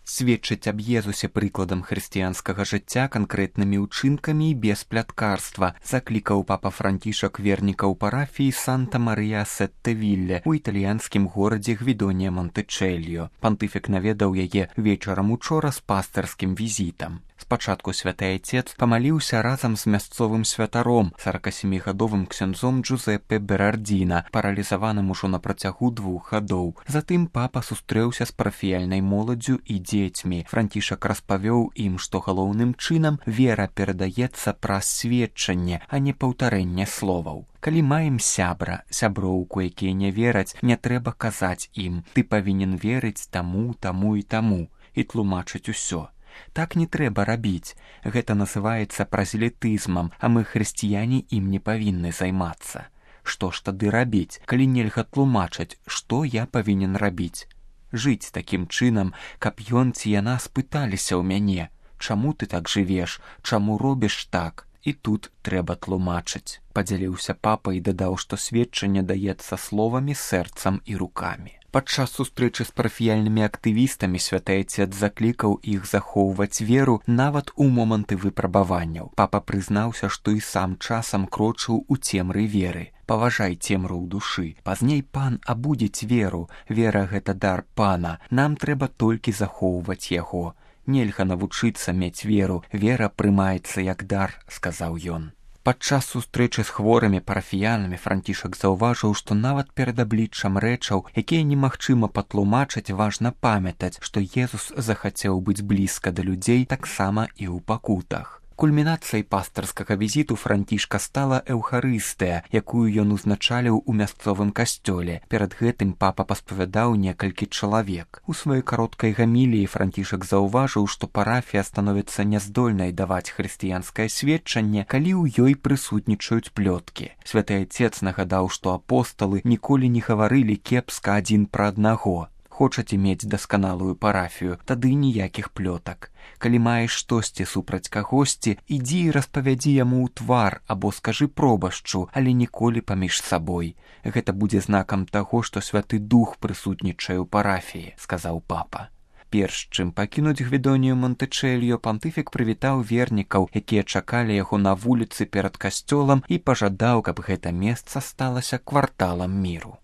сведчыць аб Езусе прыкладам хрысціянскага жыцця канкрэтнымі ўчынкамі і без пляткарства, заклікаў папа Францішак вернікаў парафіі Санта-Марыя-Сетте-Вілле у італьянскім горадзе Гвідонія-Монтычэльо. Пантыфік наведаў яе вечарам учора з пастырскім візітам. Спачатку святы айцец памаліўся разам з мясцовым святаром, 47-гадовым ксяндзом Джузеппе Берардзіна, паралізаваным ужо на працягу 2 гадоў. Затым папа сустрэўся з парафіяльнай моладдзю і дзецьмі. Францішак распавёў ім, што галоўным чынам вера перадаецца праз сведчанне, а не паўтарэнне словаў. Калі маем сяброўку, якія не вераць, не трэба казаць ім: ты павінен верыць таму, таму і таму, і тлумачыць усё. Так не трэба рабіць. Гэта называецца празелітызмам, а мы, хрысціяне, ім не павінны займацца. Што ж тады рабіць, калі нельга тлумачыць, што я павінен рабіць? Жыць такім чынам, каб ён ці яна спыталіся ў мяне: чаму ты так жывеш, чаму робіш так? І тут трэба тлумачыць. Падзяліўся папа і дадаў, што сведчанне даецца словамі, сэрцам і рукамі. Падчас сустрэчы з парафіяльнымі актывістамі святы айцец заклікаў іх захоўваць веру нават у моманты выпрабаванняў. Папа прызнаўся, што і сам часам крочыў у цемры веры. Паважай цемру ў душы. Пазней пан абудзіць веру. Вера — гэта дар пана. Нам трэба толькі захоўваць яго. Нельга навучыцца мець веру. Вера прымаецца як дар, сказаў ён. Падчас сустрэчы з хворымі парафіянамі Францішак заўважыў, што нават перад абліччам рэчаў, якія немагчыма патлумачыць, важна памятаць, што Езус захацеў быць блізка да людзей таксама і ў пакутах. Кульмінацыяй пастырскага візіту Францішка стала эўхарыстыя, якую ён узначаліў у мясцовым касцёле. Перад гэтым папа паспавядаў некалькі чалавек. У сваёй кароткай гаміліі Францішак заўважыў, што парафія становіцца няздольнай даваць хрысціянскае сведчанне, калі ў ёй прысутнічаюць плёткі. Святы айцец нагадаў, што апосталы ніколі не гаварылі кепска адзін пра аднаго. Хочаце мець дасканалую парафію, тады ніякіх плётак. Калі маеш штосьці супраць кагосьці, ідзі і распавядзі яму ў твар або скажы пробашчу, але ніколі паміж сабой. Гэта будзе знакам таго, што Святы Дух прысутнічае ў парафіі, сказаў папа. Перш чым пакінуць Гвідонію-Монтычэльо, пантыфік прывітаў вернікаў, якія чакалі яго на вуліцы перад касцёлам, і пажадаў, каб гэта месца сталася кварталам міру.